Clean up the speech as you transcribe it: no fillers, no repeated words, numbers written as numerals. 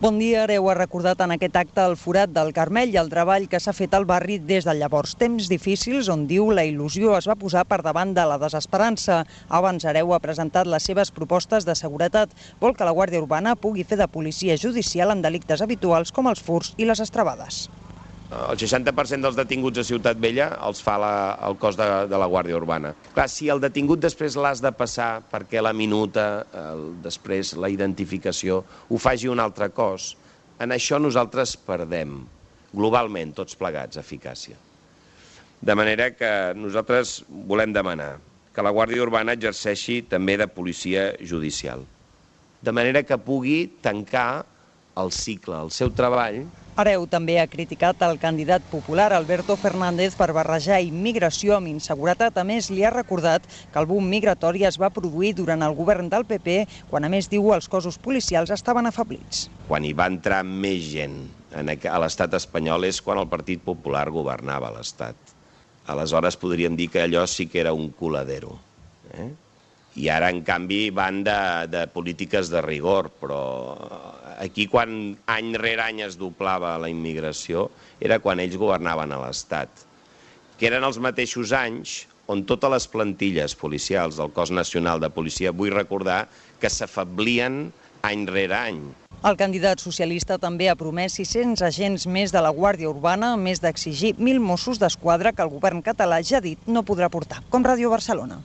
Bon dia. Hereu ha recordat en aquest acte el forat del Carmel i el treball que s'ha fet al barri des de llavors. Temps difícils on, diu, la il·lusió es va posar per davant de la desesperança. Abans Hereu ha presentat les seves propostes de seguretat. Vol que la Guàrdia Urbana pugui fer de policia judicial en delictes habituals com els furts i les estravades. El 60% dels detinguts a Ciutat Vella els fa el cos de la Guàrdia Urbana. Clar, si el detingut després l'has de passar perquè la minuta, després la identificació, ho faci un altre cos, en això nosaltres perdem, globalment, tots plegats, eficàcia. De manera que nosaltres volem demanar que la Guàrdia Urbana exerceixi també de policia judicial, de manera que pugui tancar el cicle, el seu treball. Hereu també ha criticat el candidat popular Alberto Fernández per barrejar immigració amb inseguretat. A més, li ha recordat que el boom migratori es va produir durant el govern del PP, quan, a més, diu, els cossos policials estaven afablits. Quan hi va entrar més gent a l'estat espanyol és quan el Partit Popular governava l'Estat. Aleshores podríem dir que allò sí que era un coladero. I ara, en canvi, van de polítiques de rigor, però aquí, quan any rere any es doblava la immigració, era quan ells governaven a l'Estat, que eren els mateixos anys on totes les plantilles policials del Cos Nacional de Policia, vull recordar, que s'afablien any rere any. El candidat socialista també ha promès 600 agents més de la Guàrdia Urbana, a més d'exigir 1.000 Mossos d'Esquadra que el govern català ja ha dit no podrà portar, com Ràdio Barcelona.